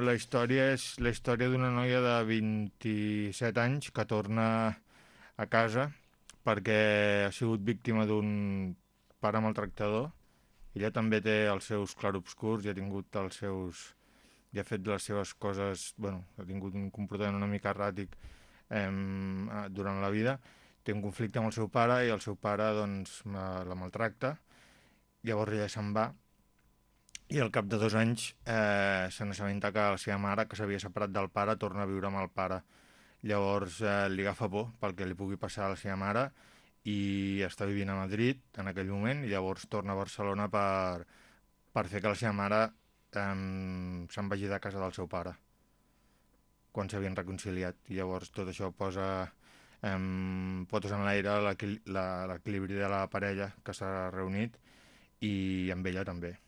La història és la història d'una noia de 27 anys que torna a casa perquè ha sigut víctima d'un pare maltractador. Ella també té els seus clarobscurs i ha tingut els seus... i ha fet les seves coses... Bueno, ha tingut un comportament una mica erràtic durant la vida. Té un conflicte amb el seu pare i el seu pare doncs la maltracta. Llavors ella se'n va i al cap de 2 anys se n'assabenta que la seva mare, que s'havia separat del pare, torna a viure amb el pare. Llavors li agafa por pel que li pugui passar a la seva mare i està vivint a Madrid en aquell moment i llavors torna a Barcelona per fer que la seva mare se'n vagi de casa del seu pare quan s'havien reconciliat. I llavors tot això posa potes en l'aire l'equilibri de la parella que s'ha reunit i amb ella també.